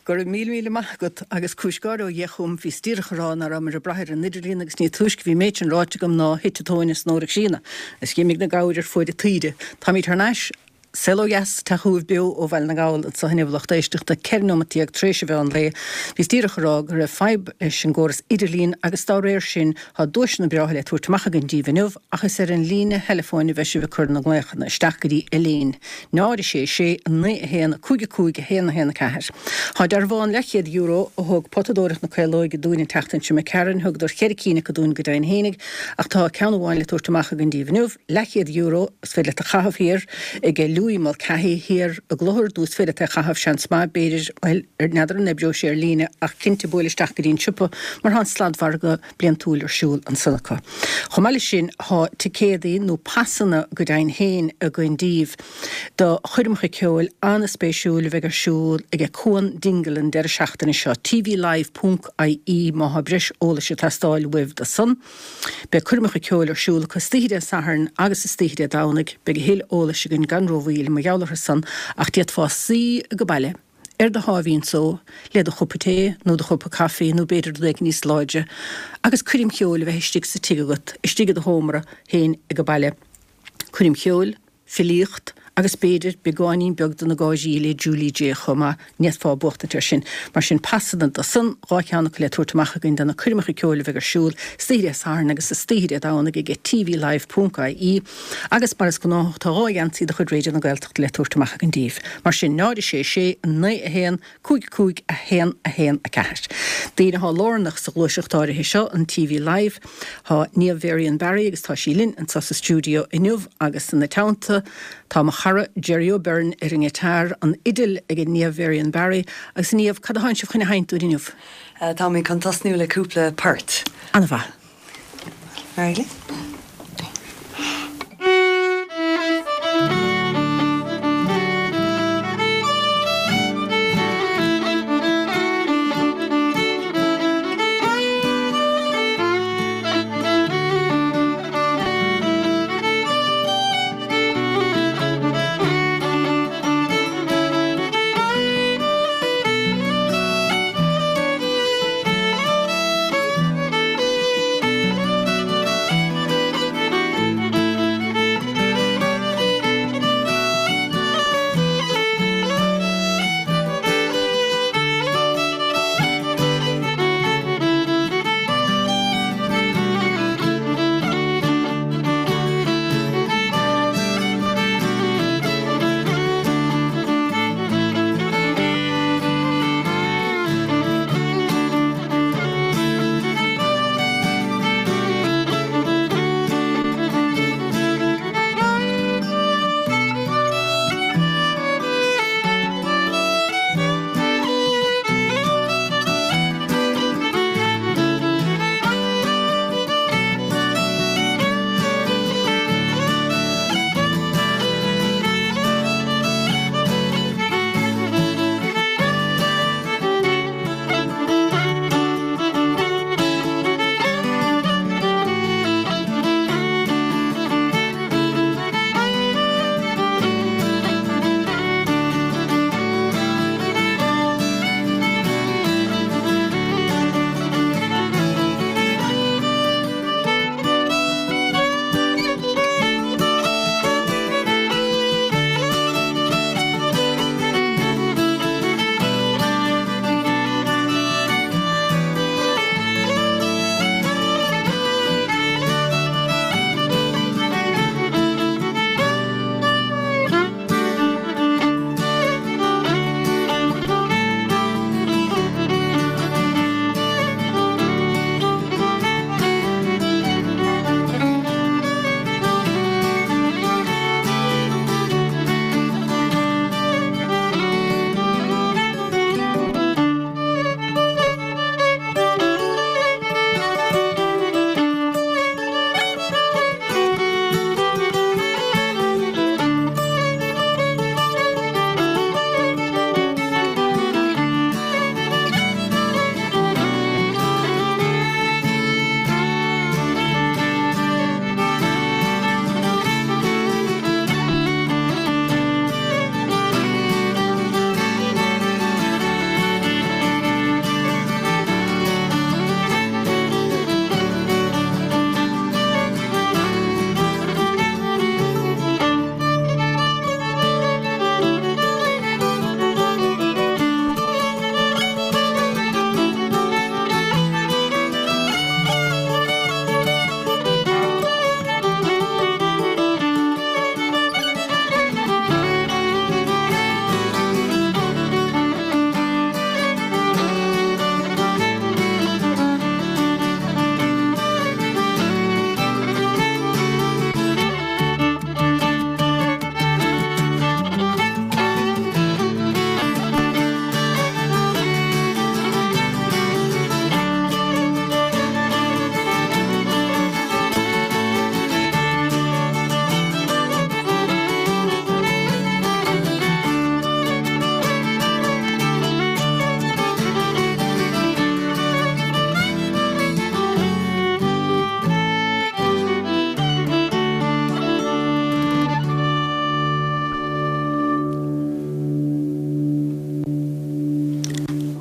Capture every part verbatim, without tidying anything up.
Go raibh míle míle maith agat agus cúis gáire ó Dhia chugam, bhíos díreach a rá nach rabhamar ag brath ar an idirlíon agus ní túisce bhí an méid sin ráite agam ná thit an tóin as Nóra Críona agus d'imigh na gabhair ar fuaid a taoide. Táimid thar n-ais Saol Ó Dheas, teacht chugaibh beo ó Bhaile na nGall anseo inniu, lucht éisteachta, ceithre nóimeat déag tar éis an mheán lae. Bhíos díreach a rá go raibh fadhb leis an gcóras idirlín agus dá réir sin tá duaiseanna breátha le tabhairt amach againn díbh inniu ach is ar an líne theileafóin a bheidh sibh ag cur na nglaochanna isteach go dtí Elaine, náid a sé sé, naoi a haon, cúig a cúig, a haon a haon a ceathair. Tá dearbhán leathchéad euro a thug Potadóireacht na Caolóige dúinn an tseachtain seo imigh tharainn, thugadar cheithre cinn acu dúinn go deimhin fhéinig ach tá ceann amháin le tabhairt amach againn díbh inniu, leathchéad euro, is féidir leat a chaitheamh thiar ag Louis Mulcahy thiar i gClochar nó is féidir leat é a chaitheamh, seans maith, b'fhéidir, bhuel, n'fheadar an oibreoidh sé ar líne ach cinnte buail isteach go dtí an siopa mar tá an sladmhargadh bliantúil ar siúl ansan acu. Chomh maith leis sin tá ticéadaí nó pasanna go deimhin féin againn díbh do choirmeacha ceoil an-spéisiúil a bheidh ar siúl ag Cuan Dingle an deireadh seachtaine seo, tvlive ponc ie má thá breis eolais ag teastáil uaibh do san. Beidh coirmeacha ceoil ar siúl acu istoíche Dé Sathairn agus istoíche Dé Domhnaigh. Beidh a thuilleadh eolais againn gan rómhoill mar gheall orthu san ach d'fhéadfá suí age baile ar do sháimhín só le do chupa tae nó do chupa caife nó b'fhéidir rud éigin níos láidre agus coirm cheoil a bheith istigh sa tigh agat, istigh i do sheomra féin age baile. Coirm cheoil, filíocht agus b'fhéidir beagáinín beag de na gáirí le Julie Jay chomh maith, ní fhéadfá buachtaint air sin. Mar sin, pasanna do san, dhá cheann acu le tabhairt amach againn do na coirmeacha ceoil a bheidh ar siúl istoíche Dé Sathairn agus istoíche Dé Domhnaigh ag tvlive ponc ie agus mar is gnáthach tá dhá gheansaí de chuid Raidió na Gaeltachta le tabhairt amach againn daoibh. Mar sin, náid a sé sé, naoi a haon, cúig cúig, a haon a haon a ceathair. Daoine atá lárnach sa ghluaiseacht áirithe seo, an TV Live, tá Niamh Varian Barry agus tá sí linn anseo sa stiúideo inniu agus ina teannta tá mo chara Jerry O'Beirne ar an ngiotár, an fhidil ag Niamh Varian Barry agus Niamh, cad atánn sibh chun a sheinnt dúinn inniu? Táimid chun tosnú le cúpla port. An-mhaith. Ar aghaidh linn.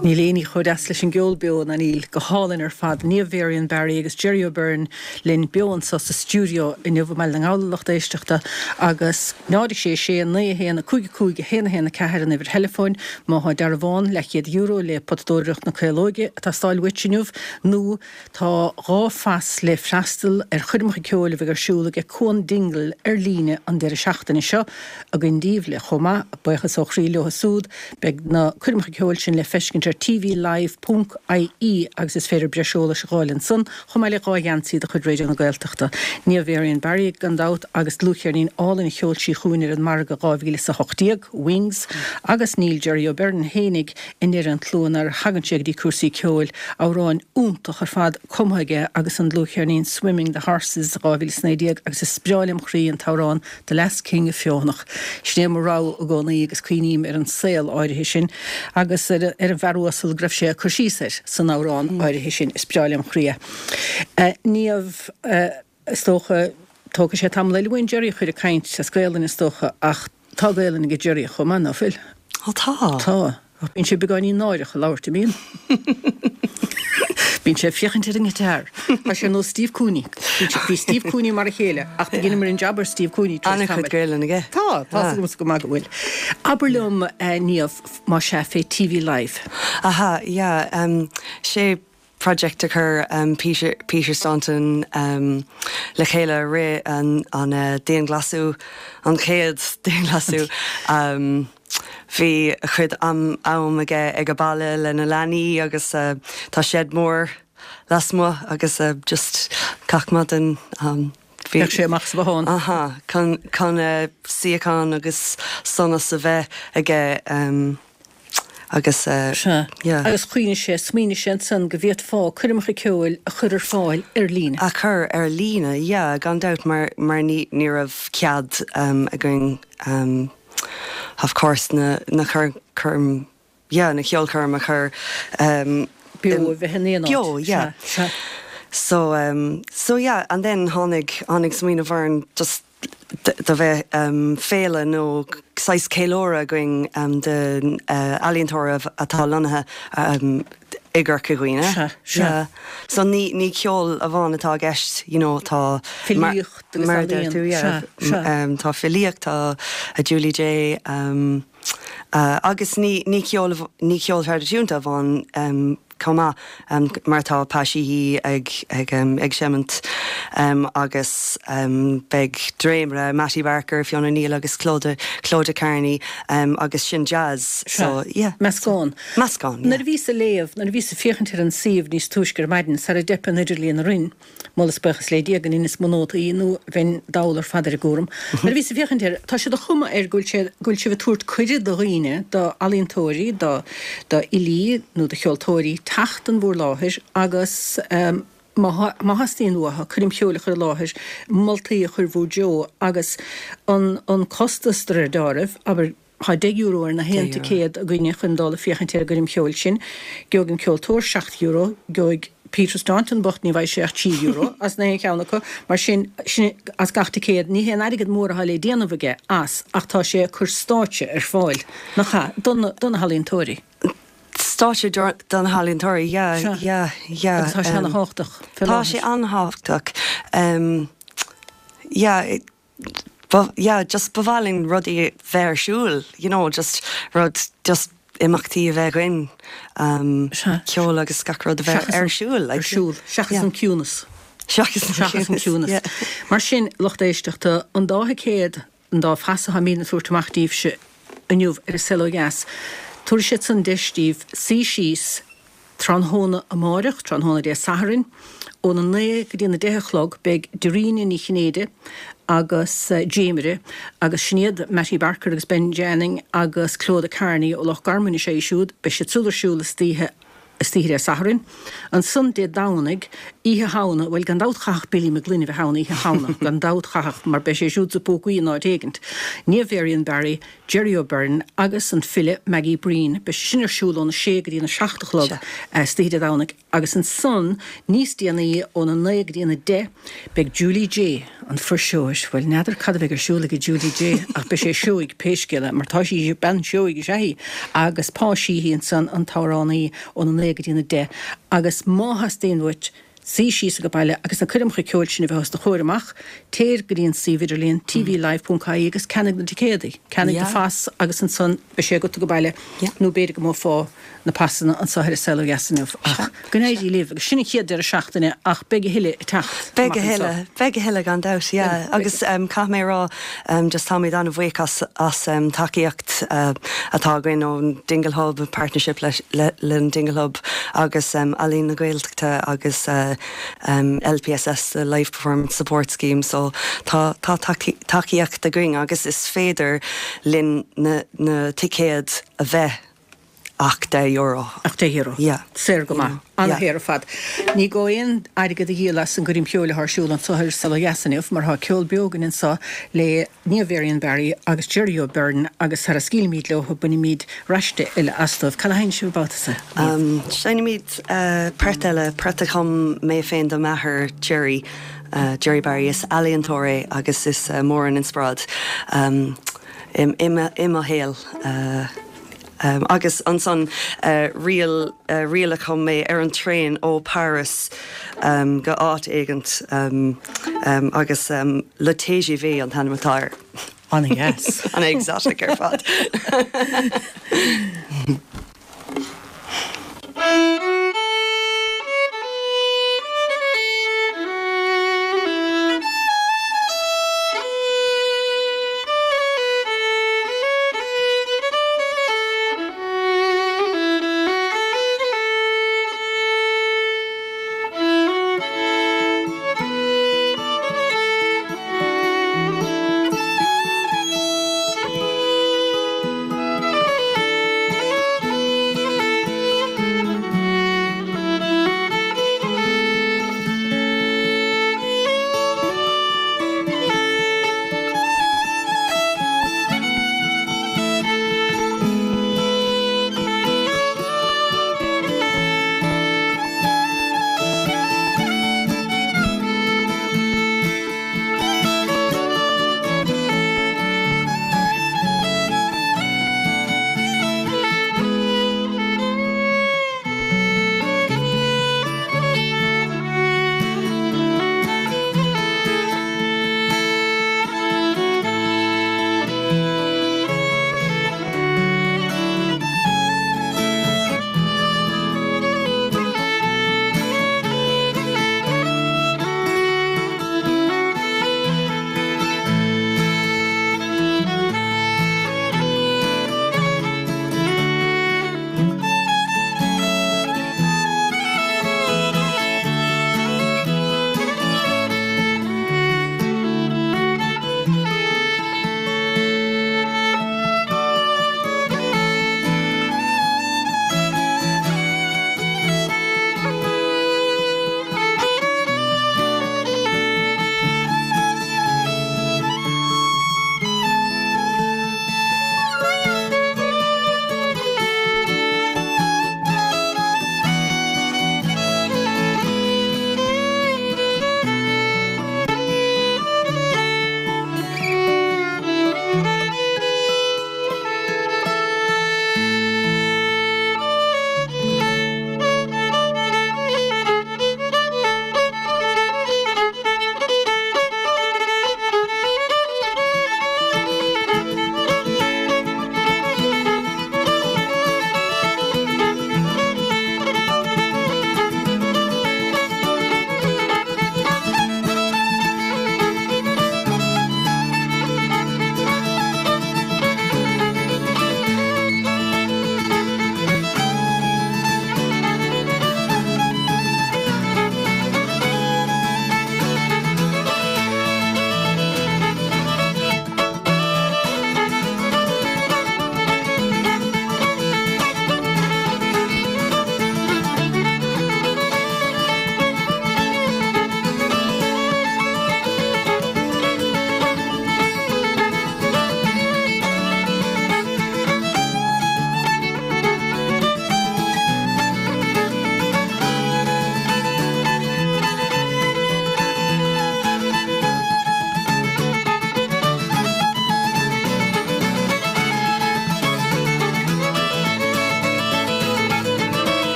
Níl aon ní chomh deas leis an gceol beo ná níl go hálainn ar fad Niamh Varian Barry agus Jerry O'Byrne linn beo anseo sa stiúideo inniu i mBaile na nGall lucht éisteachta agus náid sé sé naoi haon a cúig cúig haon haon ceathair an uimhir theileafóin má tá dearbhán leathchéad euro le potadóireacht na Caolóige ag teastáil uait inniu nó tá dhá phas le freastal ar choirmeacha ceoil a bheidh ar siúl ag Cuan Dingle ar líne an deireadh seachtaine seo againn daoibh le chomh maith buíochas ó chroí leo siúd beidh na coirmeacha ceoil sin le feiscint ar TV Live ponc IE agus is féidir breis eolais a fháil ansan chomh maith le dhá gheansaí de chuid Raidió na Gaeltachta. Niamh Varian Barry gan dabht agus dlúthcheirnín álainn a sheol sí chugainn ar an margadh dhá mhíle is a hocht déag, Wings, agus níl Jerry O'Byrne fhéinig i ndeireadh an tslua nuair a thagann sé go dtí cúrsaí ceoil amhráin iontach ar fad cumtha aige agus an dlúthcheirnín Swimming the Horses dhá mhíle is naoi déag agus is breá lem chroí an t-amhrán The Last King of Feothanach. Sin é mo rogha i gcónaí agus cuimhním ar an saol áirithe sin agus ar ar an bhfear uasal go raibh sé cur síos air san amhrán áirithe sin is breá lem chroí. Uh, Niamh uh, is dócha tógfaidh sé tamall eile uainn Jerry a chur ag caint as Gaelainn is dócha ach tá Gaelainn ag Jerry chomh maith ná fuil. Ó tá. Tá. Bíonn sé beagáinín náireach ag labhairt an mbíonn. Bíonn sé féachaint ar an ngiotár. Tá sé nó Steve Cooney. Bhí Steve Cooney mar a chéile ach dheineamar an jab ar Steve Cooney An-chuid Gaelainn aige. Tá tá go maith go bhfuil. Abair liom uh, Niamh má sé fé TV Live. Aha, yeah, um, sé project a chur um, Peter, Peter Staunton um, le chéile ré an, an uh, dianghlasáil an chéad dianghlasáil. Um, Bhí a chuid am am aige ag an mbaile lena leanaí agus uh, tá shed mór lasmuigh agus uh, just gach maidin um, Bheadh sé amach sa bhothán. Aha, chun chun uh, suíochán agus sonas a bheith aige um, agus uh, Se. yeah. Agus chuoine sé smaoinigh sé ansan go bhféadfá coirmeacha ceoil a chur ar fáil ar líne. A chur ar líne, yeah, gan dabht mar mar ní ní raibh cead um, againn um, of course na na chur chum yeah, na cheolchoirm a chur um, Beo a bheith in aon áit. Beo, yeah. Se, se. So um, so yeah, and then tháinig tháinig smaoineamh orainn just do bheith um, féile nó saghas ceiliúradh againn um, de uh, ealaíontóirí atá lonnaithe um, i gCorca Dhuibhne. Se, se. Yeah. So ní ní ceol amháin atá i gceist, you know, tá Filíocht agus mar ealaíon. tú, yeah. Se, se. Um, tá filíocht tá a Julie J. Um, uh, agus ní ní ceol ní ceol traidisiúnta amháin um, chomh maith um, mar tá Pa Sheehy ag ag um, ag seimint um, agus um, beidh dréimire Matty Barker, Fiona Neal agus Clodagh Clodagh Kearney um, agus sin jazz. So yeah. Meascán. Meascán. Yeah. Nuair a bhíos ag léamh, nuair a bhíos ag féachaint ar an suíomh níos túisce ar maidin sara dteip an idirlíon orainn, moladh is buíochas le Dia go n-inis mo nótaí nó bheinn dall ar fad ar an gcúram. Nuair a bhíos ag féachaint air, tá sé de chuma air go bhfuil sé go bhfuil sibh ag tabhairt cuireadh do dhaoine, do ealaíontóirí, do do fhilí nó do cheoltóirí teacht in bhur láthair agus um, má má theastaíonn uathu coirm cheoil a chur i láthair moltaí a chur bhur dtreo agus an an costas de réir dealraimh, abair tá deich euro ar na haon Deich euro. ticéad againne chun dul ag féachaint ar an gcoirm cheoil sin, Gheobhaidh an ceoltóir seacht euro, gheobhaidh Peter Staunton bocht ní bheidh sé ach trí euro as na haon cheann acu, mar sin sin as gach ticéad ní haon airgead mór atá le déanamh aige as ach tá sé ag cur stáitse ar fáil nach ea don don na healaíontóirí. Stáitse don healaíontóirí, yeah, Se. yeah, yeah. Agus tá sé um, an-tábhachtach. fé Tá láthair. sé an-tábhachtach. Um, yeah, it, but yeah, just ba mhaith linn rudaí bheith ar siúl, you know, just rud just imeachtaí a bheith againn um, Se. ceol agus gach rud a bheith Seachas ar an- siúl. like, Ar siúl, seachas yeah. an ciúnas. Seachas an Seachas an ciúnas. yeah. Mar sin lucht éisteachta an dá chéad an dá phas atá muid ag tabhairt amach daoibhse inniu ar an Saol Ó Dheas. Tabharfaidh siad san deis daoibh suí síos tráthnóna amárach, tráthnóna Dé Sathairn, óna naoi go dtí na deich a chlog beidh Dairena Ní Chinnéide agus uh, Jamire agus sin iad Matty Barker agus Ben Janning agus Clodagh Kearney ó Loch Garman sé siúd, beidh siad siúd ar siúl istoíche istoíche Dé Sathairn. Ansan Dé Domhnaigh Oíche Shamhna, bhuel gan dabht chaithfeadh Billy McGlynn a bheith ann Oíche Shamhna, gan dabht chaithfeadh, mar beidh sé siúd sa Phócaí in áit éigint. Niamh Varian Barry, Jerry O'Byrne agus an file Maggie Breen. Beidh sé sin ar siúl óna sé go dtí na seacht a chlog istoíche Dé Domhnaigh agus ansan níos déanaí óna naoi go dtí na deich beidh Julie Jay, an fuirseoir, bhuel n'fheadar cad a bheidh ar siúl ag Julie Jay ach beidh sé seoigh pé scéal é mar tá sí, bean seoigh is ea í, agus Pa Sheehy ansan an t-amhránaí óna naoi go dtí na deich agus má theastaíonn uait suí síos age baile agus na coirmeacha ceoil sin a bheith os do chomhair amach, téir go dtí an suíomh idirlíon tvlive ponc ie agus ceannaigh na ticéadaí, ceannaigh do phas agus ansan beidh sé agat age baile nó b'fhéidir go mbuafá na pasanna anseo ar An Saol Ó Dheas inniu. Ach go n-éirí libh agus sin an chéad deireadh seachtaine ach beidh a thuilleadh ag teacht Beidh amach a anseo. thuilleadh, beidh a thuilleadh gan dabht, yeah. Agus caithfidh mé a rá just táimid an-bhuíoch as as tacaíocht atá againn ón Dingle Hub, partnership le le an Dingle Hub agus Ealaín na Gaeltachta agus LPSS, the Live Performance Support Scheme, so tá tá tacaíocht againn agus is féidir linn na na ticéid a bheith ach deich euro. Ach deich euro. Yeah. Saor go maith. An-shaor ar fad. Ní gá aon airgead a dhíol as an gcoirm cheoil atá ar siúl anseo ar An Saol Ó Dheas inniu mar tá ceol beo againn anseo le Niamh Varian Barry agus Jerry O'Byrne agus sara scaoilfimid leo bainfimid raiste eile astu. Cad a sheinnfidh sibh an babhta seo? Um, Seinnimid uh, port eile, port a chum mé féin do m'athair Jerry, uh, Jerry Barry is ealaíontóir é agus is uh, mór an inspioráid um, im, im, i mo shaol. Uh, Um, agus ansan uh, ríl uh, ríl a chum mé ar an traein ó Paris um, go áit éigint um, um, agus um, Le TGV an t-ainm atá air. An-dheas. An exotic ar fad.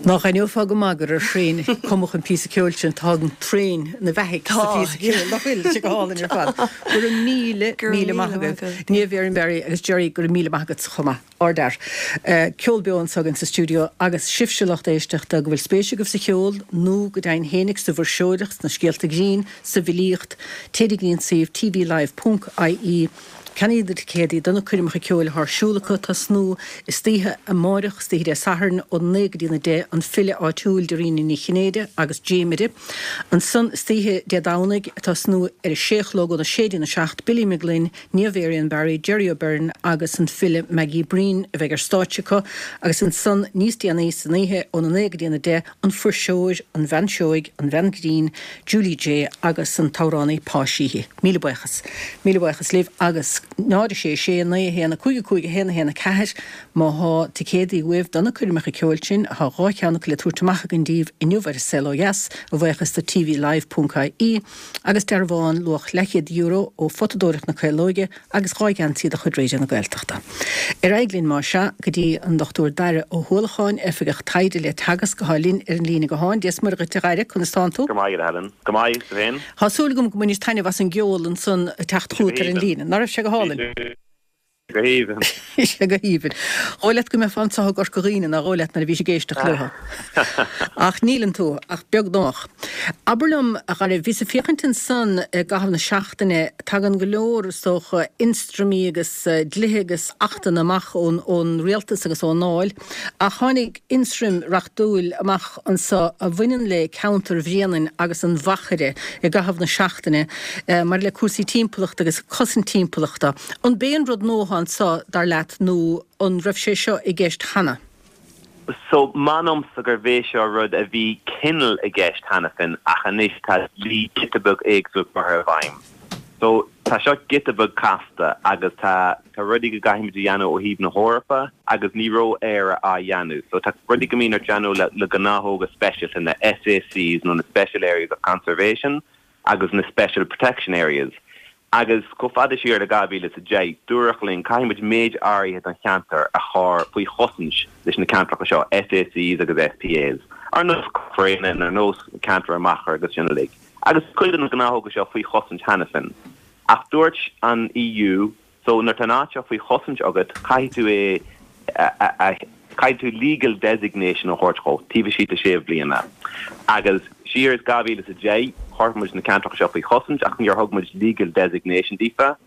Nach aithneofá go maith gur ar thraein a cumadh an píosa ceoil sin, tá an traein ina bheathaigh sa phíosa ceoil, nach bhfuil? Tá sé go hálainn ar fad. Go raibh míle, míle maith agaibh. Niamh Erin Barry agus Gerry, go raibh míle maith agat chomh maith. Ardfhear. Ceol beo anseo againn sa stiúideo agus sibhse lucht éisteachta go bhfuil spéis agaibh sa cheol nó go deimhin fhéinig sa bhfuirseoireacht, sna scéalta grinn, sa bhfilíocht, téigh go dtí an suíomh tvlive ponc ie. Ceannaigh na ticéadaí do na coirmeacha ceoil atá ar siúl acu tosnú istoíche amáireach, istoíche Dé Sathairn ó naoi go dtí na deich, an file áitiúil Dairena Ní Chinnéide agus Dréimire. Ansan istoíche Dé Domhnaigh, tosnú ar a sé a chlog óna sé dtína seacht, Billy Mac Gloinn, Niamh Erin Barry, Gerry O'Beirne agus an file Maggie Breen a bheidh ar stáitse acu agus ansan níos déanaí san oíche óna naoi go dtína deich, an fuirseoir, an bhean seoigh, an bhean grinn, Julie Jay agus an t-amhránaí Pa Sheehy. Míle buíochas. Míle buíochas libh agus náid a sé sé naoi a haon a cúig a cúig a haon a haon a ceathair má thá ticéadaí uaibh do na coirmeacha ceoil sin, thá dhá cheann acu le tabhairt amach againn daoibh inniu ar An Saol Ó Dheas, a bhuíochas do tvlive ponc ie, agus dearbhán luach leathchéad euro ó Photadóireacht na Caolóige agus dhá gheansaí de chuid Raidió na Gaeltachta. Ar aghaidh linn más ea go dtí an Dochtúir Daire Ó hUallacháin, Oifigeach Taighde le Teagasc athá linn ar an líne gutháin. Dia 's Muire dhuit a Dhaire, conas tánn tú? Go maith, a Helen. Go maith, tú féin? Thá súil agam go mbainis taitneamh as an gceol ansan ag teacht chugat ar an líne. Ná raibh sé go hálainn? Go haoibhinn. Bhí sé go haoibhinn. Dhóigh leat go mbeifeá anseo i gCorca Dhuibhne, nár dhóigh leat, nuair a bhís ag éisteacht leo. Ach níleann tú, ach beagnach. Abair liom, a Dhaire, bhíos ag féachaint ansan i gcaitheamh na seachtaine, tagann go leor, is dócha, ionstraimí agus dlíthe agus achtanna amach ón, ón rialtas agus ón nDáil, ach tháinig ionstraim reachtúil amach anso a bhaineann le ceantar Bhréanainn agus an Mhachaire i gcaitheamh na seachtaine, maidir le cúrsaí timpeallachta agus cosaint timpeallachta. An b'é an rud nua atá anso, dar leat, nó an raibh sé seo i gceist cheana? So, m'anamsa gurbh é seo rud a bhí cineál i gceist cheana féin ach anois tá dlí giota beag éagsúil curtha i bhfeidhm. So, tá seo giota beag casta agus tá tá rudaí go gcaithfimid a dhéanamh ó thaobh na hEorpa agus ní raibh Éire á dhéanamh. So, tá rudaí go mbíonn ort déanamh le le gnáthóga speisialta, na SACs nó na Special Areas of Conservation agus na Special Protection Areas. Agus chomh fada siar le dhá mhíle is a deich, dúradh linn, caithfidh muid méid áirithe den cheantar a chur faoi chosaint leis na ceantracha seo, SACs agus SPAs, ar nós Bhréanainn, ar nós ceantar an Mhachaire agus sin uilig. Agus cuid de na gnáthóga seo faoi chosaint cheana féin. Ach dúirt an EU, So nuair atá an áit seo faoi chosaint agat, caithfidh tú é a, caithfidh tú legal designation a thabhairt dhó taobh istigh de sé bhliana. Agus siar is dhá mhíle is a deich, chuir muid na ceantracha seo faoi chosaint ach níor thug muid legal designation daofa.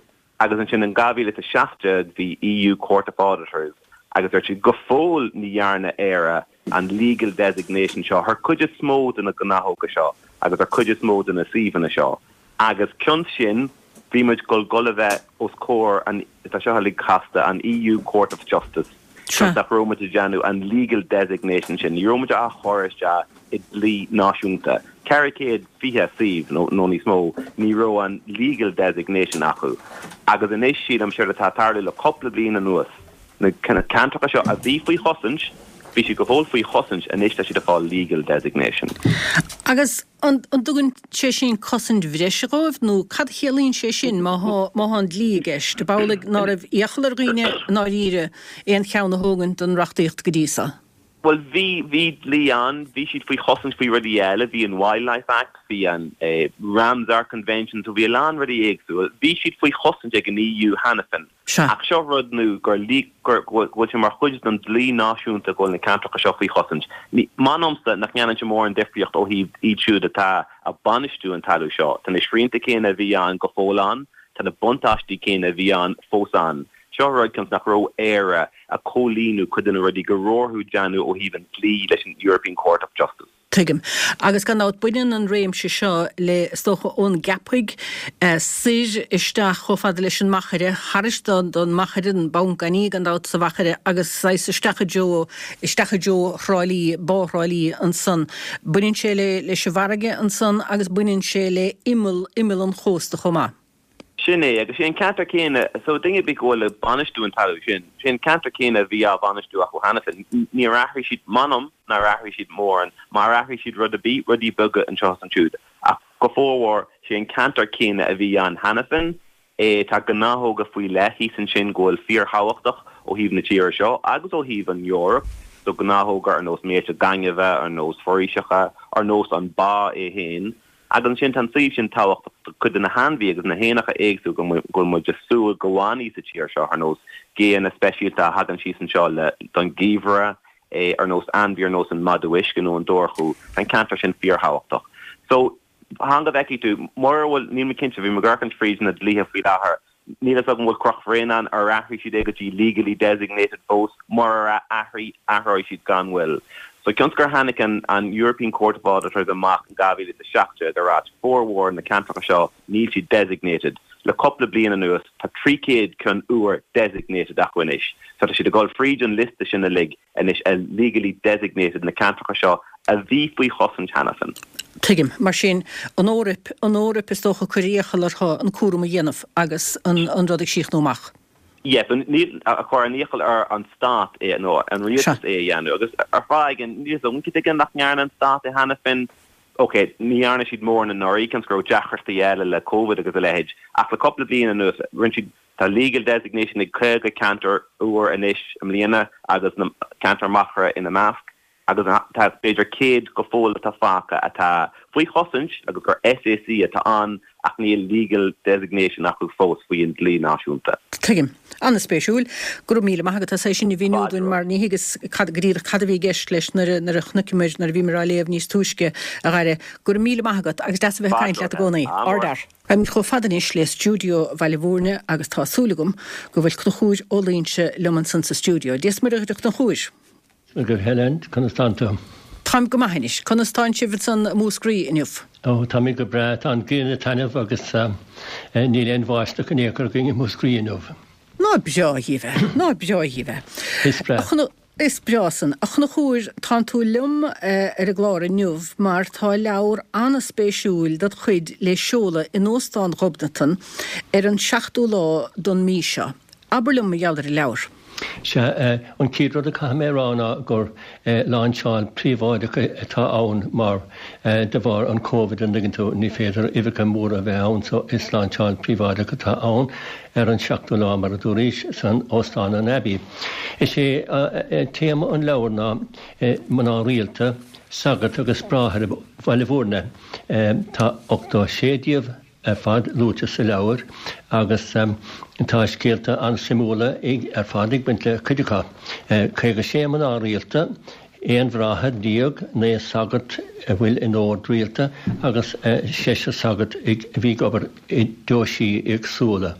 Agus ansin in dhá mhíle is a seacht déag bhí EU Court of Auditors agus dúirt siad go fóill ní dhearna Éire an legal designation seo thar cuid is mó de na gnáthóga seo agus ar cuid is mó de na suíomhanna seo. Agus cionn sin, bhí muid gul gul a bheith os comhair an, tá seo uilig casta, an EU Court of Justice, cionn nach raibh muid ag déanamh an legal designation sin, ní raibh muid á chur isteach i dlí náisiúnta. ceithre chéad fiche suíomh nó nó níos mó, ní raibh an legal designation acu. Agus anois sílim séard atá ag tarlú le cúpla bliain anuas, na ceantracha seo a bhí faoi chosaint, bhí siad go fóill faoi chosaint, anois tá siad ag fáil legal designation. Agus an dtugann sé sin cosaint bhreise dhóibh nó cad a chiallaíonn sé sin má thá má thá an dlí i gceist? Ab amhlaidh ná raibh iachall ar dhaoine i ndáiríre aon cheann a thógaint den reachtaíocht go dtí so? Bhuel bhí, bhí dlí ann, bhí siad faoi chosaint faoi rudaí eile, bhí an Wildlife Act, bhí an Ramsar Convention, so bhí a lán rudaí éagsúil, bhí siad faoi chosaint ag an EU cheana féin. Sea. Ach seo rud nua, gur gur go bhfuil sé mar chuid den dlí náisiúnta go bhfuil na ceantracha seo faoi chosaint. Ní, m'anamsa nach ndéanann sé mórán difríocht ó thaobh iad siúd atá ag bainistiú an talamh seo. Tá na srianta céanna a bhí ann go fóill ann, tá na buntáistí céanna a bhí ann fós ann. Seo rud cionn is nach raibh Éire ag comhlíonadh cuid de na rudaí go raibh orthu déanamh ó thaobh an dlí leis an European Court of Justice. Tuigim. Agus gan dabht, baineann an réimse seo le, is dócha, ón gCeapaigh soir isteach chomh fada leis an Machaire, thairis don Machaire, an Banc Gainimh gan dabht sa Mhachaire, agus saghas isteach i dtreo, isteach i dtreo Thrá Lí, Bá Thrá Lí ansan. Baineann sé le, leis an bhfarraige ansan agus baineann sé le imeall, imeall an chósta chomh maith. Sin é, agus sé an ceantar céanna, so duine ar bith go bhfuil ag bainistiú an talamh sin, sé an ceantar céanna a bhí á bhainistiú acu cheana féin. Níor athraigh siad, m'anam nár athraigh siad mórán, mar athraigh siad rud ar bith, rudaí beaga anseo is ansiúd, ach go formhór, sé an ceantar céanna a bhí ann cheana féin é. Tá gnáthóga faoi leith thíos ansin go bhfuil fíorthábhachtach ó thaobh na tíre seo agus ó thaobh an Eoraip, So gnáthóga ar nós míolta gainimhe, ar nós foraoiseacha, ar nós an bá é féin. Agus ansin tá an suíomh sin tábhachtach do cuid de na hainmhithe agus na héanacha éagsúla go bhfuil muid ag súil go bhfanfaidh sa tír seo, ar nós géanna speisialta a thagann síos anseo le don gheimhreadh, ar nós ainmhí ar nós an madadh uisce nó an dobharchú. Tá an ceantar sin fíorthábhachtach. So, fan go bhfeicfidh tú, mura bhfuil, níl mé cinnte, bhí mé ag amharc fríd na dlíthe faoi láthair, níl a fhios agam an bhfuil Cnoc Bhréanainn, ar athraigh siad é go dtí legally designated fós, murar athraigh, athróidh siad gan mhoill. So cionn is gur tháinig an an European Court of Auditors amach in dhá mhíle is a seacht déag ag ráit formhór na ceantracha seo níl siad designated, le cúpla bliain anuas tá trí chéad ceann úr designated acu anois. So tá siad ag dul fríd an liosta sin uilig anois a legally designated na ceantracha seo a bhí faoi chosaint cheana féin. Tuigim. Mar sin, an Eoraip, an Eoraip is dócha cuir iachall orthu an cúram a dhéanamh agus an an rud ag síochnú amach. Yes, níl a chur an iachall ar an stát é nó an rialtas é a dhéanamh agus ar fáth éigin níl a fhios agam cad chuige nach ndearna an stát é cheana féin. Ok, ní dhearna siad mórán anuraidh cionn is go raibh deacrachtaí eile le Covid agus a leithéid ach le cúpla bliain anuas rinne siad tá legal designation ag caoga ceantar úr anois i mbliana agus na ceantar machaire ina measc. agus tá b'fhéidir céad go fóill atá fágtha atá faoi chosaint agus gur S A C atá ann ach níl legal designation acu fós faoi an dlí náisiúnta. Tuigim. An-spéisiúil. Go raibh míle maith agat as é sin a mhíniú dúinn mar ní thuigeas cad go díreach cad a bhí i gceist leis nuair a nuair a chonaiceamar nuair a bhíomar á léamh níos túisce, a Dhaire. Go raibh míle maith agat agus deas a bheith ag caint leat i gcónaí. Ardfhear. Táimid chomh fada anois le stiúideo Bhaile Mhúirne agus tá súil agam go bhfuil Conchúr Ó Loingsigh liom ansan sa stiúideo. Dia is Muire dhuit a Chonchúir. Go Helen, conas tánn tú? Táim go maith anois. Conas tánn sibh ansan i Múscraí inniu? Ó, táimid go breá. Tá an ghrian ag taitneamh agus níl aon bháisteach in aon chor againn i Múscraí inniu. Ná breá dhíbh é. Ná breá dhíbh é. Is breá. Is breá san. A Chonchúir, tánn tú liom ar an gclár inniu mar tá leabhar an-spéisiúil dod chuid le seoladh in Óstán Ghobnatan ar an seachtú lá don mí seo. Abair liom mar gheall ar an leabhar. Sea, an chéad rud a chaithfidh mé a rá ná gur láinseáil príobháideach atá ann mar de bharr an Covid, an dtuigeann tú, ní féidir uimhreacha móra a bheith ann so is láinseáil príobháideach atá ann ar an seachtú lá, mar a dúraís, san Óstán an Abbey. Is é téama an leabhair ná mná rialta, sagairt agus bráithre Bhaile Mhúirne. Tá ochtó sé díobh ar fad luaite sa leabhar agus tá scéalta an-suimiúla ar fad ag baint le cuid acu. Caoga sé mná rialta, aon bhráthair déag, naoi sagart a bhfuil in ord rialta agus seisear sagart a bhí ag obair i deoisí éagsúla.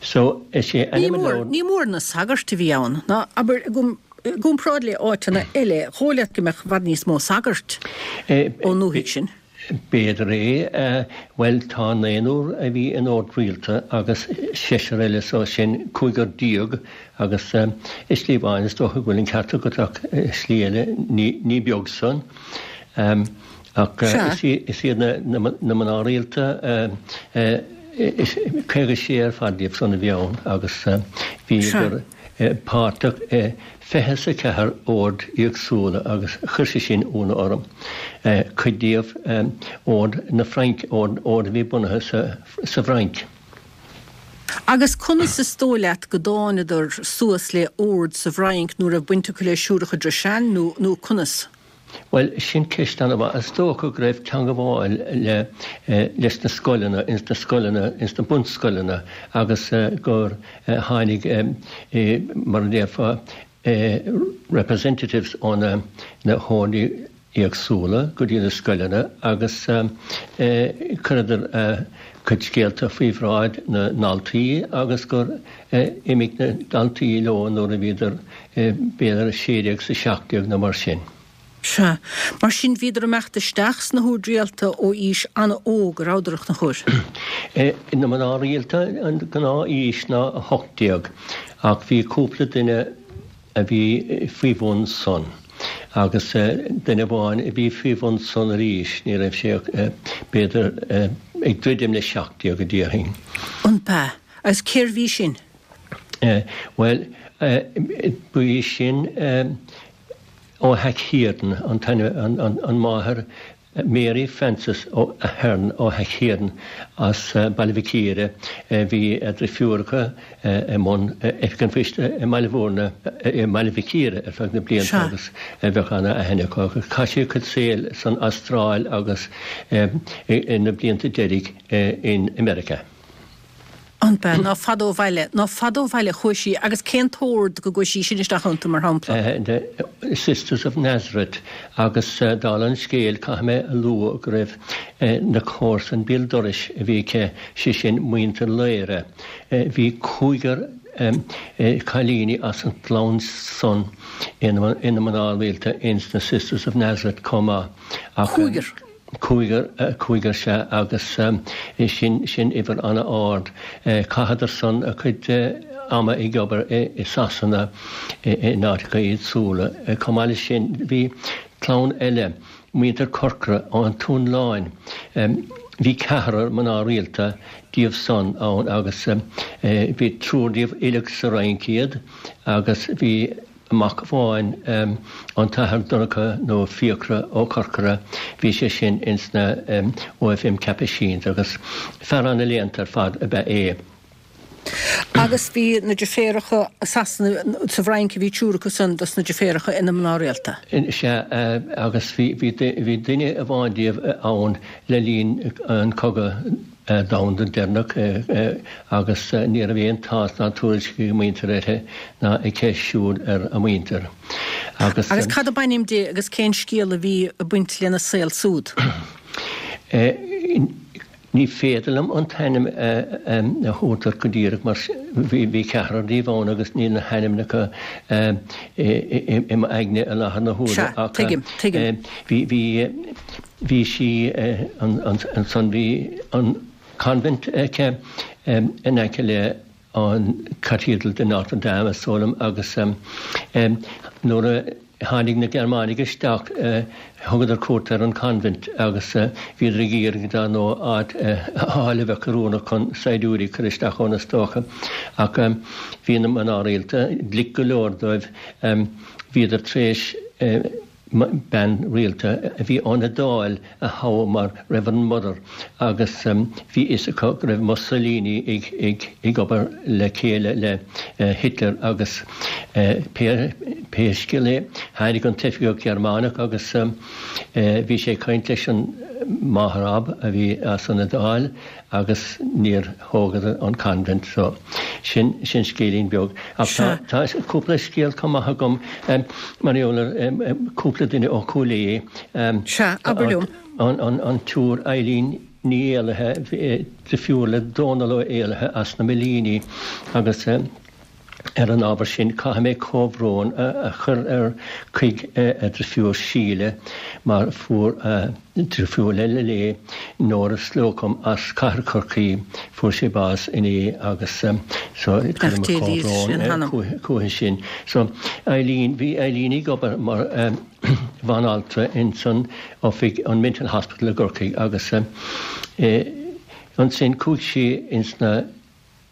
So, is é ainm an leabhair. Ní mór na sagairt a bhí ann, ná abair, i gcomparáid le áiteanna eile, dhóigh leat go mbeadh i bhfad níos mó sagart ón ndúthaigh sin. B'fhéidir é. Bhuel, tá naonúr a bhí in ord rialta agus seisear eile, so sin cúigear déag agus i slí amháin is dócha go bhfuil an ceart agat ach i slí eile ní beag san. Ach is iad na mná rialta caoga sé ar fad díobh san a bhí ann agus bhíodar páirteach i fiche is a ceathair ord éagsúla agus chuir sé sin ionadh orm. Cuid díobh ord na Fraince, ord a bhí bunaithe sa bhFrainc. Agus conas is dóigh leat go dtánadar suas le ord sa bhFrainc nó raibh baint acu le Siúracha Dhrois Sean nó nó conas? Bhuel, sin ceist an-mhaith. Is dócha go raibh teangabháil le leis na scoileanna, ins na scoileanna, ins na bunscoileanna agus gur tháinig, mar a déarfá, representatives ó na na hordí éagsúla go dtí na scoileanna agus chuireadar a gcuid scéalta faoi bhráid na ndaltaí agus gur imigh na daltaí leo nuair a bhíodar b'fhéidir a sé déag 's a seacht déag nó mar sin. Sea. Mar sin bhíodar ag imeacht isteach sna hoird rialta ó aois an-óg, a rabhadar, a Chonchúir? Na mná rialta an gnáth-aois ná a hocht déag ach bhí cúpla duine a bhí faoi bhun san agus duine amháin a bhí faoi bhun san arís, ní raibh sé ach b'fhéidir ag druidim le seacht déag a déarfainn. An b'ea? Agus cérbh í sin? Bhuel, ba í sin ó Theach Laighean, an t-ainm, an máthair Mary Frances O'Ahern Ó hEachíarn as Baile Mhic Íre, bhí a drifiúracha i mbun Oifig an Phoist i mBaile Bhúirne, i mBaile Mhic Íre ar feadh na blianta agus bheadh ana-aithne acu. Chaith sí a cuid saoil san Astráil agus ina blianta deiridh in America. An b'ea? Ná fada ó bhaile, ná fada ó bhaile a chuaigh sí agus cén t-ord go gcuaigh sí sin isteach iontu, mar shampla? The Sisters of Nazareth agus dála an scéil caithfidh mé a lua go raibh na comharsain béal dorais a bhí aici, sé sin muintir Laoire. Bhí cúigear cailíní as an gclann san ina mná rialta ins na Sisters of Nazareth chomh maith. Cúigear? Cúigear, cúigear sea, agus sin, sin uimhir an-ard. Chaitheadar san a cuid ama ag obair i Sasana in áiteacha éagsúla. Chomh maith leis sin, bhí clann eile, muintir Corcora ón Tóin Láin, bhí ceathrar mná rialta díobh san ann agus bhí triúr díobh uilig sa Fhrainc iad agus bhí mac amháin, an tAthair Donncha nó Fiachra Ó Corcora, bhí sé sin ins na OFM Capuchins agus fear ana-léannta ar fad ab ea é. Agus bhí na deirféaracha i Sasana, sa bhFrainc a bhí triúr acu san dos na deirféaracha ina mná rialta. Sea, agus bhí duine amháin díobh ann le linn an cogadh domhanda deireanach agus ní raibh aon tásc ná tuairisc ag a muintir uirthi ná aici siúd ar a muintir. Agus Agus cad ab ainm di agus cén scéal a bhí ag baint lena saol súd? Ní féidir liom an t-ainm a thabhairt duit go díreach mar bhí ceathrar díobh ann agus níl na hainmneacha i m'aigne i láthair na huaire. Sea, tuigim, tuigim. Bhí, bhí. Bhí sí ansan, bhí an convent aici in aice le an Cathedral de Notre Dame is dóigh liom agus nuair a tháinig na Gearmánaigh isteach thugadar cuairt ar an convent agus bhíodar ag iarraidh dar ndóigh áit a fháil a bheadh oiriúnach chun saighdiúirí a chur isteach ann is dócha ach bhí na mná rialta glic go leor dóibh bhíodar tar éis bean rialta a bhí ón Iodáil a thoghadh mar Reverend Mother agus bhí fhios acu go raibh Mussolini ag ag ag obair le chéile le Hitler agus pé pé scéal é tháinig an t-oifigeach Gearmánach agus bhí sé ag caint leis an máthair ab a bhí as an Iodáil agus níor thógadar an convent so sin sin scéilín beag. Ach tá tá cúpla scéal chomh maith agam mar gheall ar cúpla duine ó Chúil Aodha. Sea, abair liom. An an an tSiúr Eileen Ní Éallaithe, drifiúr le Dónal Ó Éallaithe as na Millíní agus Ar an ábhar sin, caithfidh mé comhbhrón a chur ar chuig a drifiúr Síle mar fuair a drifiúr eile léi, Nóra Slocum as Cathair Chorcaí, fuair sí bás inné agus so cuirim mo chomhbhrón chuici sin. So Eileen, bhí Eileen ag obair mar bhanaltra ins an oifig, an Mental Hospital i gCorcaigh agus ansin chuaigh sí ins na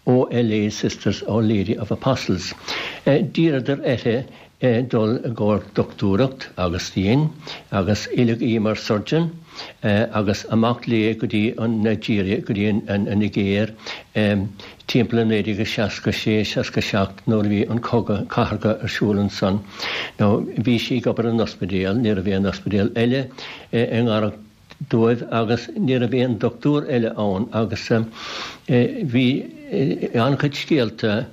OLA Sisters Our Lady of Apostles. D'iarradar uirthi dul i gcomhair dochtúireacht agus dhein, agus oileadh í mar surgeon agus amach léi go dtí an Nigeria, go dtí an Nigéir timpeall i naoi déag a seasca sé, seasca seacht nuair a bhí an cogadh cathartha ar siúl ansan. Now bhí sí ag obair in ospidéal, ní raibh aon ospidéal eile i ngaireacht dóibh agus ní raibh aon dochtúir eile ann agus bhí an-chuid scéalta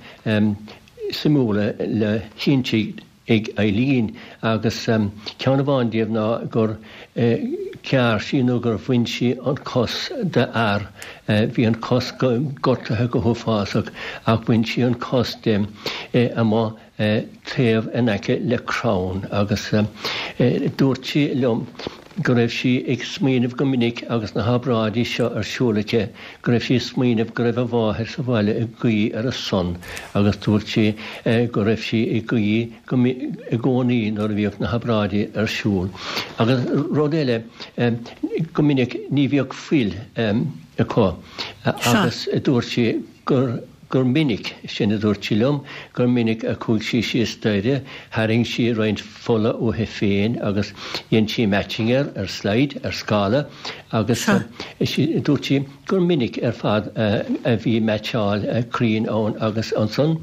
suimiúla le hinsint ag Eileen agus ceann amháin díobh ná gur ghearr sí nó gur bhain sí an cos de fhear, bhí an cos gortaithe go huafásach ach bhain sí an cos de amuigh taobh in aice le crann agus dúirt sí liom go raibh sí ag smaoineamh go minic agus na hobráidí seo ar siúl aici, go raibh sí ag smaoineamh go raibh a mháthair sa bhaile ag guí ar a son agus dúirt sí go raibh sí ag guí go i gcónaí nuair a bhíodh na hobráidí ar siúl. Agus rud eile, go minic ní bhíodh fuil acu agus dúirt sí gur gur minic, sin a dúirt sí liom, gur minic a chuaigh sí síos staighre, tharraing sí roinnt fola uaithi féin agus dhein sí matching air ar slide, ar scála, agus dúirt sí gur minic ar fad a bhí meaitseáil cruinn ann agus ansan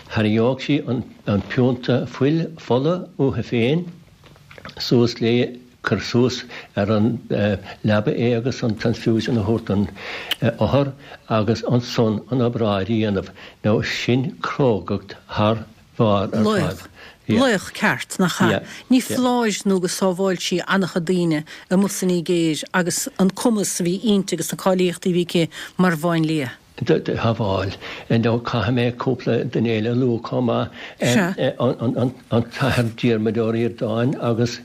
tharraingeodh sí an piúnta fuil, fola uaithi féin suas léi. Cuir suas ar an leaba é agus an transfusion a thabhairt don othar agus ansan an obráid a dhéanamh. Now sin crógacht thar barr ar fad. Laoch ceart, nach ea? Ní foláir nó gur sábháil sí an-chuid daoine amuigh san Nigéir agus an cumas a bhí inti agus na cáilíochtaí a bhí aici mar mháinlia. Shábháil. Now caithfidh mé cúpla duine eile a lua chomh maith. An tAthair Diarmuid Ó Ríordáin agus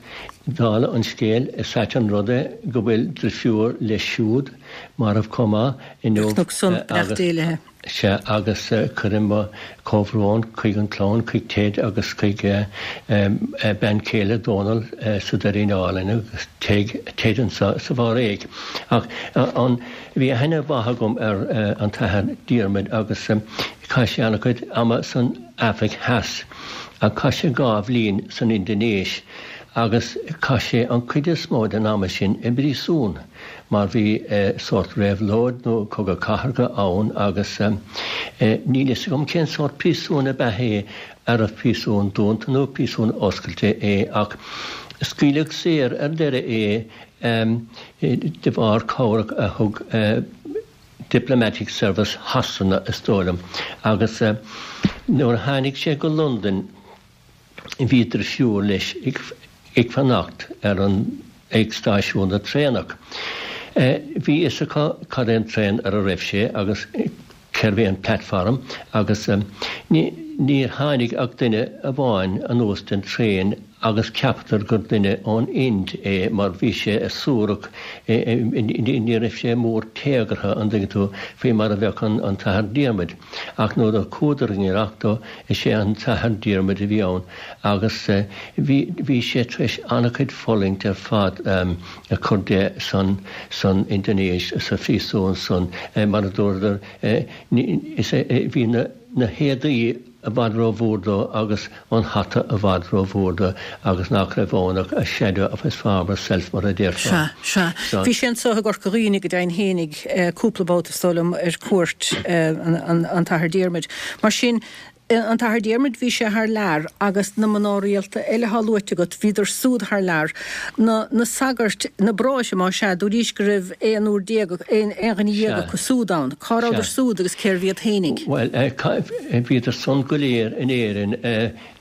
dála an scéil is ait an rud é go bhfuil drifiúr leis siúd marbh chomh maith inniu. Cnoc san, beannacht Dé léi. Sea, agus cuirim mo chomhbhrón chuig an chlann, chuig Ted agus chuig bean chéile Dónal sa Doirín Álainn agus Ted anseo sa Bháréag. Ach an, bhí aithne mhaith agam ar an tAthair Diarmuid agus chaith sé an-chuid ama san Afraic Theas ach chaith sé dhá bhliain san Indinéis agus chaith sé an chuid is mó den ama sin i bpríosún mar bhí sórt réabhlóid nó cogadh cathartha ann agus níl fhios agam cén sórt príosún ab ea é, arbh príosún dúnta nó príosún oscailte é ach scaoileadh saor ar deireadh é de bharr cabhrach a thug Diplomatic Service Shasana is dóigh liom agus nuair a tháinig sé go Londain bhí drifiúr leis ag fanacht ar an ag stáisiún na traenach. Bhí fhios acu cad é an traein ar a raibh sé agus cérbh é an platform agus níor tháinig ach duine amháin anuas den traein agus ceaptar gur duine ón Ind é mar bhí sé suarach, ní raibh sé mór téagartha, an dtuigeann tú, faoi mar a bheadh an tAthair Diarmuid. Ach nuair a chuadar i ngiorracht dó, is é an tAthair Diarmuid a bhí ann agus bhí bhí sé tar éis an-chuid fulaingt ar fad a chur de san san Indinéis, sa phríosún san, mar a dúradar, is é bhí na na héadaí i bhfad rómhór dó agus an hata i bhfad rómhór dó agus nach raibh ann ach a shadow of his former self mar a déarfá. Sea, sea. Bhí sé anseo i gCorca Dhuibhne go deimhin fhéinig cúpla babhta is dóigh liom ar cuairt an tAthair Diarmuid. Mar sin, an tAthair Diarmuid bhí sé thar lear agus na mná rialta eile atá luaite agat bhíodar súd thar lear. Na na sagairt, na bráithre más ea, dúraís go raibh aon uair déag, aon dhuine dhéag acu súd ann. Cá rabhadar súd agus cérbh iad fhéinig? Bhuel, bhíodar san go léir in Éirinn.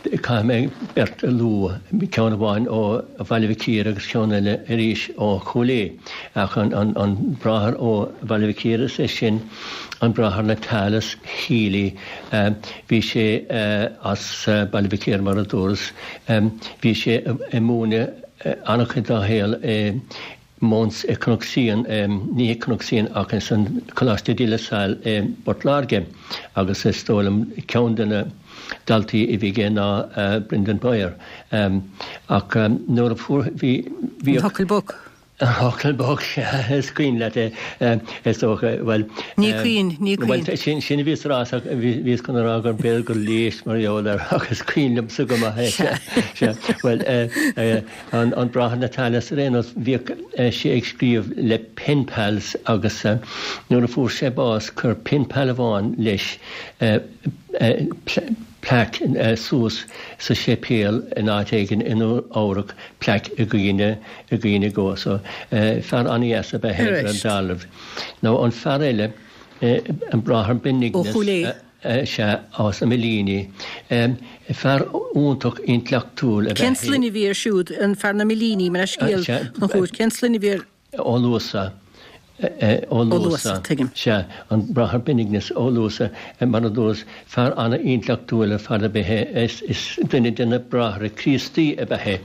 Caithfidh mé beirt a lua, ceann amháin ó Bhaile Mhic Íre agus ceann eile arís ó Chúil Aodha. Ach an bráthair ó Bhaile Mhic Íre, is é sin an Bráthair Natalis Healy, bhí sé as Baile Mhic Íre mar a dúras, bhí sé ag múineadh an-chuid dá shaol i Mount i Cnoc Síon, ní i Cnoc Síon ach ins an Coláiste De La Salle i bPort Láirge agus is dóigh liom ceann de na daltaí a bhí aige ná Brendan Bowyer. Ach nuair a fuair, bhí, bhí. An tFocal Boc. An Focal Boc, sea, is cuimhin leat é, is dócha, bhuel. Ní cuimhin, ní cuimhin. Bhuel, sin, sin a bhíos a rá, bhíos chun a rá gur b'fhéidir gur léis mar gheall air ach is cuimhin liomsa go maith é, sea, sea. Bhuel, an, an Bráthair Natalis ar aon nós, bhíodh sé ag scríobh le pen pals agus nuair a fuair sé bás chuir pen pal amháin leis plaic suas sa séipéal in áit éigin i Nua Eabhrac, plaic i gcuimhne, i gcuimhne dhó. So, fear an-dheas ab ea é ar dealramh. Now an fear eile, an Bráthair Benignus. Ó Chúil Aodha. Sea, as na Millíní. Fear iontach intleachtúil ab ea é. Cén sloinne a bhí air siúd, an fear na Millíní, mo leithscéal, a Chonchúir, cén sloinne a bhí air? Ó Luasa. Ó Luasa, tuigim. Sea, an Bráthair Benignus Ó Luasa, mar a dúras, fear an-intleachtúil ar fad ab ea é. Is duine de na Bráithre Críostaí ab ea é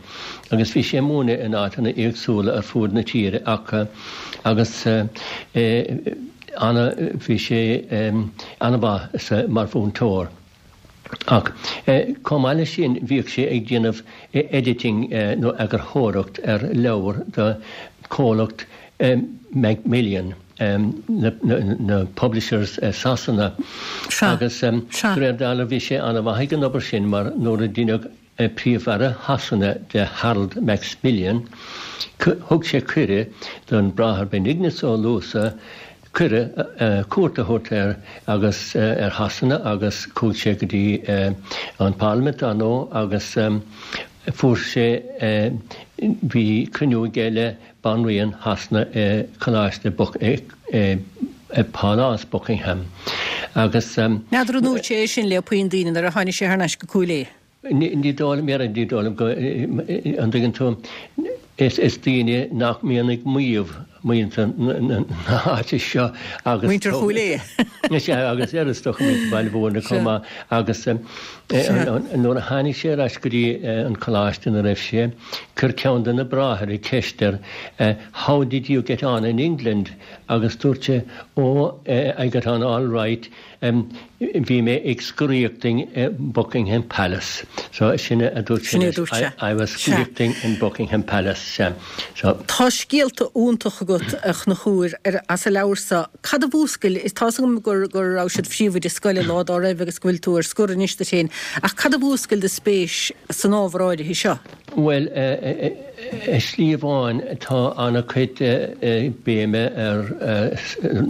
agus bhí sé ag múineadh in áiteanna éagsúla ar fuaid na tíre ach agus ana, bhí sé an-mhaith mar mhúinteoir. Ach chomh maith leis sin bhíodh sé ag déanamh editing nó eagarthóireacht ar leabhair do chomhlacht Macmillan na publishers Sasana agus de réir dealraimh bhí sé an-mhaith ag an obair sin mar nuair a deineadh Príomh-Aire Shasana de Harold Macmillan, thug sé cuireadh don Bráthair Benignus Ó Luasa cuireadh cuairt a thabhairt air agus ar Shasana agus chuaigh sé go dtí an Parlaimint dar ndóigh agus fuair sé bhí cruinniú aige le Banríon Shasana i Coláiste i Pálás Buckingham agus. N'fheadar an ndúirt sé é sin le puinn daoine nuair a tháinig sé thar n-ais go Cúil Aodha? Ní dóigh liom, ní dóigh liom go, an dtuigeann tú, is daoine nach mbíonn ag maíomh muintir na háite seo agus. Muintir Chúil Aodha. Sea, agus ar is dócha muintir Bhaile Mhúirne chomh maith agus nuair a tháinig sé ar ais go dtí an coláiste ina raibh sé, chuir ceann de na bráithre ceist air How did you get on in England? agus dúirt sé Oh, I got on all right. Bhí mé ag scoraíochting i Buckingham Palace. So sin a dúirt sé leis, I was scoraíochting in Buckingham Palace. Sea. So. Tá scéalta iontacha agat, a Chonchúir, as an leabhar so. Cad a mhúscail, tá's agam go raibh siad phríomhoide scoile lá dá raibh agus go bhfuil tú ar scor anois duit féin, ach cad a mhúscail do spéis san ábhar áirithe seo? Bhuel, i slí amháin tá an-chuid béime ar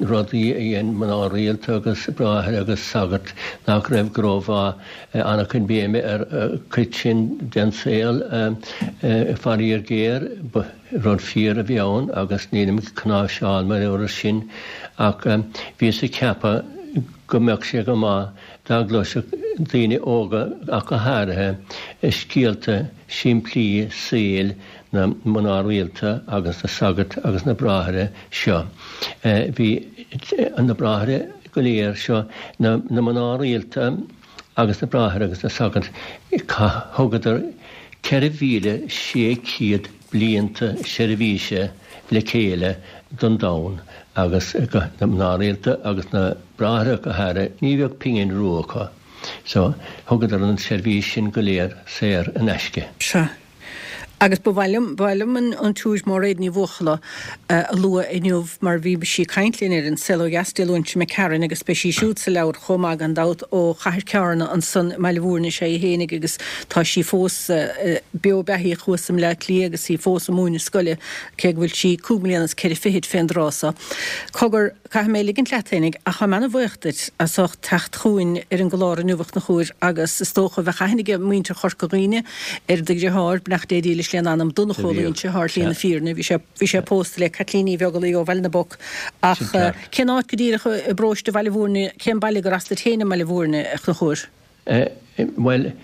rudaí a dhein mná rialta agus bráithre agus sagairt nach raibh go rómhaith, an-chuid béime ar chuid sin den saol, faraor géar, ba rud fíor a bhí ann agus nílim ag cnáimhseáil mar gheall air sin ach bhíos ag ceapadh go mbeadh sé go maith dá gcloisfeadh daoine óga ach go háirithe scéalta simplí saoil na mná rialta agus na sagart agus na bráithre seo. Bhí na bráithre go léir seo, na mná rialta agus na bráithre agus na sagairt, thugadar ceithre mhíle sé chéad blianta seirbhíse le chéile don domhan agus na mná rialta agus na bráithre go háirithe, ní bheadh pingin rua acu. So, thugadar an tseirbhís sin go léir saor in aisce. Sea. Agus ba mhaith liom, ba mhaith liom an tSiúr Máiréad Ní Bhuachalla a lua inniu mar bhí sí ag caint linn ar An Saol Ó Dheas Dé Luain seo imigh tharainn agus beidh sí siúd sa leabhar chomh maith gan dabht ó Chathair Cearna ansan i mBaile Mhúirne is ea í fhéinig agus tá sí fós beo beathaíoch thuas i mBleá Cliath agus í fós ag múineadh scoile cé go bhfuil sí cúig mbliana is ceithre fichid fén dtráth so. Cogar, caithfidh mé ligint leat fhéinig ach táim ana-bhuíoch duit as ucht teacht chugainn ar an gclár inniu a Chonchúir agus is dócha bheadh aithne ag muintir Chorca Dhuibhne ar do dheartháir, beannacht Dé dílis lena anam, Donncha Ó Loingsigh, ar shlí na fírinne. Bhí sé, bhí sé pósta le Caitlín Uí Bheaglaoich ó Bhaile na bPoc. Ach cén áit go díreach i bparóiste Bhaile Mhúirne, cén baile gur as duit féin i mBaile Mhúirne, a Chonchúir? Bhuel,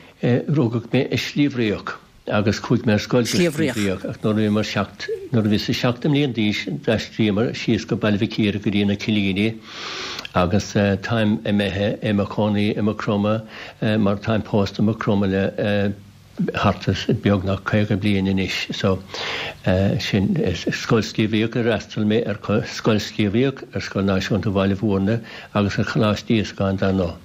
rugadh mé i Sliabh Riach agus chuaigh mé ar scoil go Sliabh Sliabh Riach. Riach ach nuair a bhíomar seacht, nuair a bhíos seacht mbliana d'aois d'aistríomar síos go Baile Mhic Íre go dtí na Cillíní agus táim imithe i mo chónaí i Maigh Chromtha mar táim pósta i Maigh Chromtha le thart is beagnach caoga bliain anois. So, sin, Scoil Sliabh Riach ar fhreastail mé ar Scoil Sliabh Riach, ar Scoil Náisiúnta Bhaile Mhúirne agus ar Choláiste Íosagáin dar ndóigh.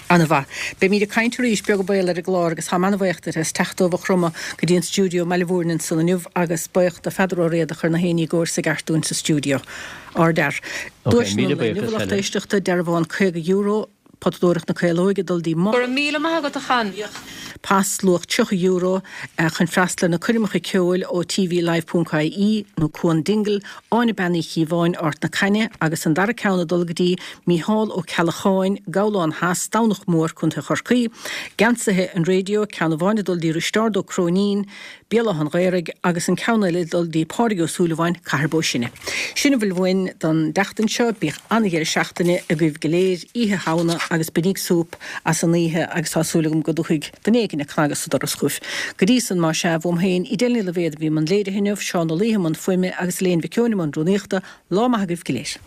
Ana-mhaith. Beimid ag caint arís, beag an baol, ar an gclár agus táim ana-bhuíoch duit as teacht ó Mhaigh Chromtha go dtí an stiúideo i mBaile Mhúirne ansan inniu agus buíoch do Pheadar Ó Riada a chuir na héinní i gcóir sa gceart dúinn sa stiúideo. Ardfhear. Ok, Duaiseanna míle an lae inniu, buíochas, a lucht Helen. éisteachta, dearbhán caoga euro, Potadóireacht na Caolóige ag dul dtí Go raibh míle maith agat a Chon. Pas luach tríocha euro chun freastal ar na coirmeacha ceoil ó T V Live ponc I E nó Cuan Dingle, Áine Bean Uí Chíobháin, Ard na Caithne agus an dara ceann ag dul go dtí Mícheál Ó Ceallacháin, Gabhlán Theas, Domhnach Mór, Contae Chorcaí. Geansaithe an Raidió, ceann amháin ag dul dtí Risteárd Ó Cróinín, Béal Átha an Ghaorthaidh agus an ceann eile ag dul dtí Pádraig Ó Súilleabháin, Cathair Bó Sine. Sin a bhfuil uainn don tseachtain seo. Bíodh an-dheireadh seachtaine agaibh go léir, Oíche Shamhna agus bainíg súp as an oíche agus tá súil agam go dtiocfaidh duine éigin ag cnagadh sa doras chugaibh. Go dtí san, más ea, uaim féin, Edel Ní Loibhéad a bhí i mbun léirithe inniu, Seán Ó Laoithe i mbun fuaime agus Elaine Mhic Eoin i mbun rúnaíochta. Lá maith agaibh go léir.